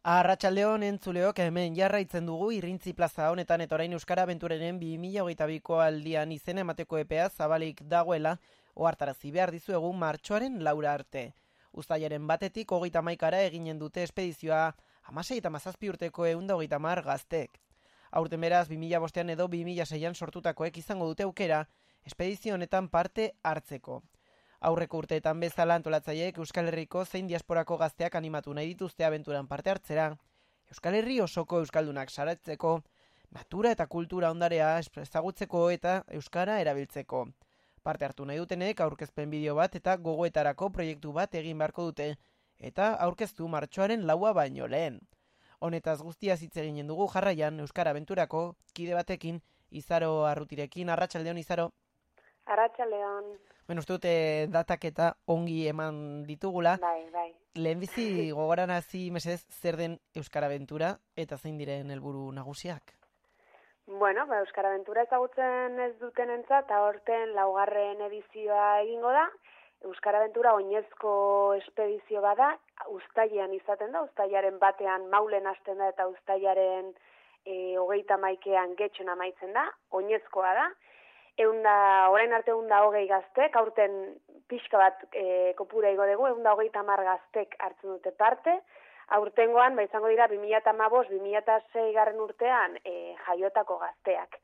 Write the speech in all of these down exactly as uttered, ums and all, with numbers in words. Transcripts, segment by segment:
Arratsaldeon entzuleok, hemen jarraitzen dugu Irrintzi plaza honetan eta orain Euskara Abenturaren bi mila hogeita biko aldian izena emateko epea zabalik dagoela ohartarazi behar dizuegu martxoaren laura arte. Uztailaren batetik hogeita hamaikara eginen dute espedizioa hamasei eta hamazazpi urteko ehun eta hogeita hamar gaztek. Aurten beraz bi mila bostean edo bi mila seian sortutakoek izango dute aukera espedizio honetan parte hartzeko. Aurreko urteetan bezala antolatzaileek Euskal Herriko zein diasporako gazteak animatu nahi dituzte abenturan parte hartzera, Euskal Herri osoko euskaldunak saratzeko, natura eta kultura ondarea ezagutzeko eta euskara erabiltzeko. Parte hartu nahi dutenek aurkezpen bideo bat eta gogoetarako proiektu bat egin beharko dute, eta aurkeztu martxoaren laua baino lehen. Honetaz guztiaz hitz eginen dugu jarraian Euskara Abenturako kide batekin, Izaro Arrutirekin. Arratsaldeon, Izaro. Arratsaldeon. Bueno, uste dute datak eta ongi eman ditugula. Bai, bai. Lehenbizi gogorarazi mesedez zer den Euskara Abentura eta zein diren helburu nagusiak? Bueno, ba, Euskara Abentura ezagutzen ez dutenentzat aurten laugarren edizioa egingo da. Euskara Abentura oinezko espedizio bada, uztailean izaten da, uztailaren batean maulen hasten da eta uztailaren e, hogeita hamaikean getxon amaitzen da, oinezkoa da. Eunda, orain arte eunda hogei gaztek, aurten pixka bat e, kopura igo dugu, eunda hogeita hamar gaztek hartzen dute parte. Aurtengoan, ba, izango dira, bi mila hamabost bi mila sei garren urtean e, jaiotako gazteak.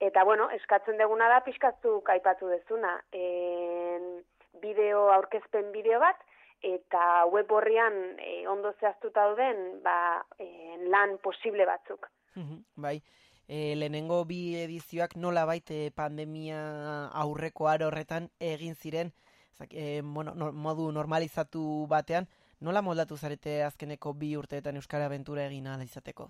Eta, bueno, eskatzen deguna da, pixkatzuk aipatu dezuna, e, bideo, aurkezpen bideo bat, eta web horrian e, ondo zehaztuta dauden ba, e, lan posible batzuk. Bai. E, lehenengo bi edizioak nola baite pandemia aurreko aro horretan egin ziren, zak, e, bueno, no, modu normalizatu batean, nola moldatu zarete azkeneko bi urteetan Euskara Abentura egin ahal izateko?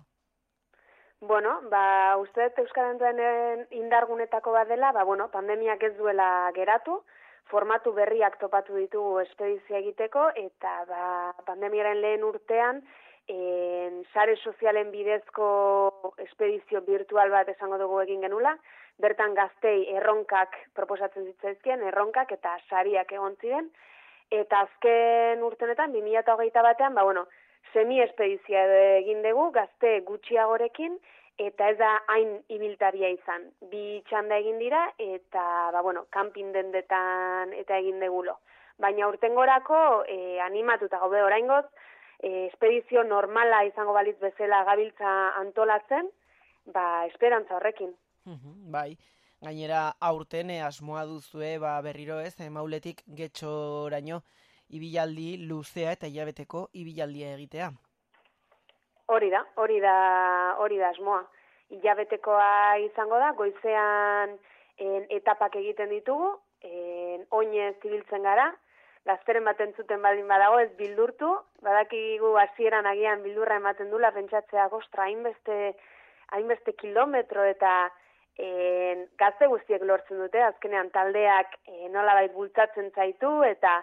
Bueno, ba, uste Euskara Abenturaren indargunetako bat dela, ba, bueno, pandemiak ez duela geratu, formatu berriak topatu ditugu espedizia egiteko, eta ba, pandemiaren lehen urtean, En, sare sozialen bidezko espedizio virtual bat esango dugu egin genula, bertan gaztei erronkak proposatzen zitzaizkien, erronkak eta sariak egon ziren, eta azken urtenetan, bi mila hogeita batean, ba, bueno, semi-espedizia egin dugu, gazte gutxiagorekin, eta ez da hain ibiltaria izan. Bi txanda egin dira, eta, ba, bueno, kanpin dendetan eta egin degulo. Baina urtengorako eh, animatuta gaude oraingoz, E, espedizio normala izango balitz bezala gabiltza antolatzen, ba, esperantza horrekin. Bai, gainera aurten e, asmoa duzue ba, berriro ez, e, mauletik getxoraino ibilaldi luzea eta hilabeteko ibilaldia egitea. Hori da, hori da, hori da asmoa. Hilabetekoa izango da, goizean en, etapak egiten ditugu, en, oinez ibiltzen gara, gazteren bat entzuten baldin badago ez bildurtu, badakigu hasieran agian bildurra ematen dula, pentsatzea ostra, hainbeste, hainbeste kilometro eta e, gazte guztiek lortzen dute, azkenean taldeak e, nolabait bultzatzen zaitu eta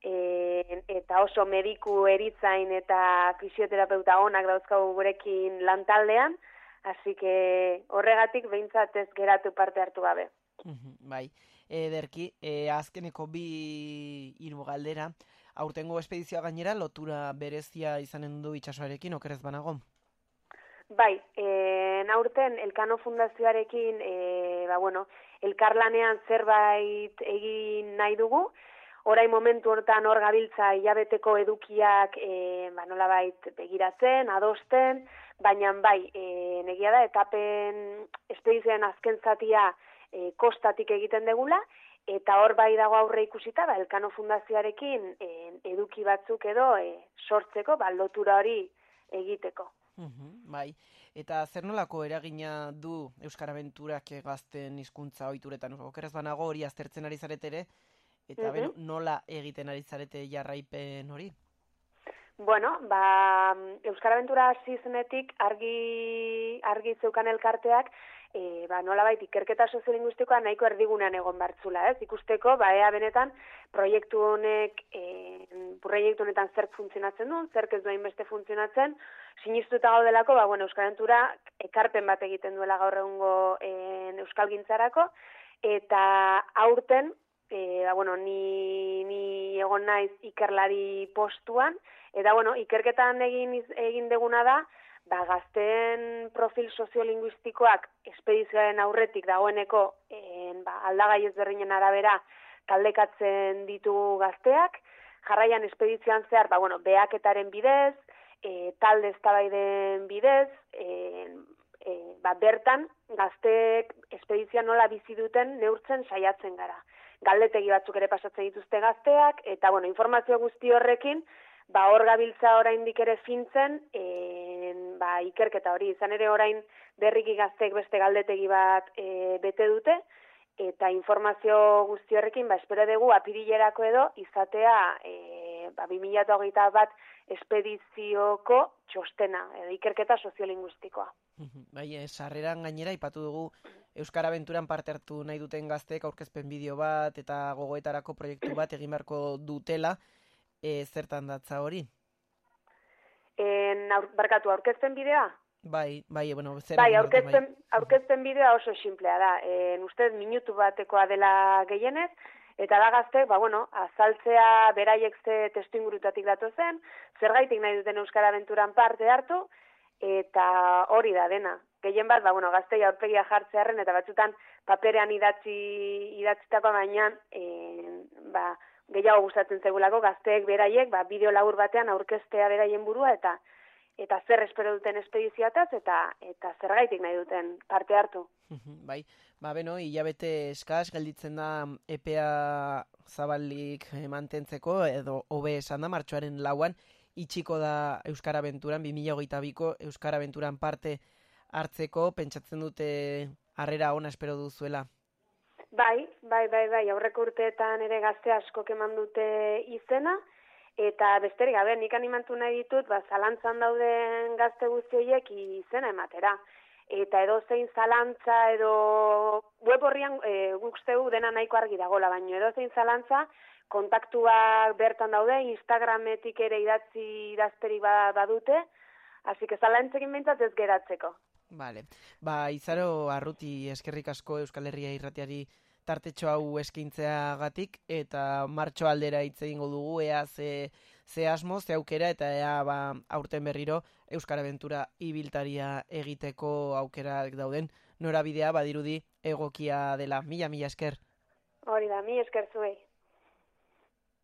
e, eta oso mediku eritzain eta fisioterapeuta onak dauzkagu gurekin lan taldean, hasi que horregatik behintzat ez geratu parte hartu gabe. Bai. Ederki, e, azkeneko bi hiru galdera, aurtengo espedizioa gainera lotura berezia izanen du itsasoarekin, okerez banago? Bai, e, aurten Elkano Fundazioarekin, e, ba, bueno, elkarlanean zerbait egin nahi dugu, orain momentu hortan hor gabiltza hilabeteko edukiak e, ba, nolabait begiratzen, adosten, baina bai, e, negia da, etapen espedizioaren azken zatia E, kostatik egiten degula, eta hor bai dago aurre ikusita, ba, Elkano Fundazioarekin e, eduki batzuk edo e, sortzeko, ba, lotura hori egiteko. Uhum, bai, eta zer nolako eragina du Euskara Abenturak gazten hizkuntza ohituretan, okerez banago hori aztertzen ari zaretere, eta uh-huh. beno, nola egiten ari zarete jarraipen hori? Bueno, ba, Euskara Abentura hasi zenetik argi, argi zeukan elkarteak, e, ba, nolabait ikerketa soziolinguistikoa nahiko erdigunean egon bartzula, ez? Ikusteko, ba, ea benetan, proiektu honek, e, proiektu honetan zer funtzionatzen duen, zer ez duen beste funtzionatzen, sinistuta gaudelako, ba, bueno, Euskara Abentura ekarpen bat egiten duela gaur egungo e, euskalgintzarako, eta aurten, e, ba, bueno, ni, ni egon naiz ikerlari postuan, eta bueno, ikerketan egin, egin deguna da, ba, gazteen profil soziolinguistikoak espedizioaren aurretik dagoeneko en, ba, aldagai ezberdinen arabera taldekatzen ditu gazteak, jarraian espedizioan zehar, ba, bueno, behaketaren bidez, e, talde eztabaiden bidez, e, e, ba, bertan gazteek espedizioa nola bizi duten neurtzen saiatzen gara. Galdetegi batzuk ere pasatzen dituzte gazteak, eta bueno, informazio guzti horrekin, ba, hor gabiltza oraindik ere fintzen, en, ba, ikerketa hori, izan ere orain berriki gazteek beste galdetegi bat e, bete dute, eta informazio guzti horrekin, ba, espero dugu apirilerako edo izatea e, ba, bi mila hogeita bat espedizioko txostena, edo ikerketa soziolinguistikoa. Bai, sarreran gainera ipatu dugu Euskara Abenturan parte hartu nahi duten gazteek aurkezpen bideo bat eta gogoetarako proiektu bat egin beharko dutela, e, zertan datza hori? En, aur, barkatu, aurkezpen bideoa? Bai, bai, bueno, zer bai, aurkezpen, bai. aurkezpen bideoa oso simplea da. En, ustez, minutu batekoa dela gehienez, eta da gaztek, ba, bueno, azaltzea beraiek ze testu ingurutatik datozen, zergaitik nahi duten Euskara Abenturan parte hartu, eta hori da dena. Gehien bat, ba, bueno, gaztei aurpegia jartzearen, eta batzutan paperean idatzi, idatzitako baina, en, ba, gehiago gustatzen zegulako, gazteek beraiek, ba, bideo labur batean aurkeztea beraien burua, eta eta zer espero duten espedizioataz, eta eta zergaitik nahi duten parte hartu. Bai, ba, beno, hilabete eskaz gelditzen da epea zabalik mantentzeko, edo hobe esan da, martxoaren lauan, itxiko da Euskara Abenturan, bi mila hogeita biko Euskara Abenturan parte hartzeko, pentsatzen dute harrera ona espero duzuela. Bai, bai, bai, bai, aurreko urteetan ere gazte askok eman dute izena, eta besterik gabe, nik animatu nahi ditut, ba, zalantzan dauden gazte guztiek izena ematera. Eta edo zein zalantza, edo web horrian e, guk zeu dena nahiko argi dagola, baina edo zein zalantza, kontaktuak bertan daude, Instagrametik ere idatzi idazterik badute, hasi que zalantzekin behintzat ez geratzeko. Vale. Ba, Izaro Arruti, eskerrik asko Euskal Herria irratiari tartetxo hau eskaintzeagatik, eta martxo aldera hitz egingo dugu, ea ze, ze asmo, ze aukera, eta ea ba, aurten berriro Euskara Abentura ibiltaria egiteko aukerak dauden, norabidea badirudi egokia dela. Mila, mila esker. Hori da, mi esker zuei.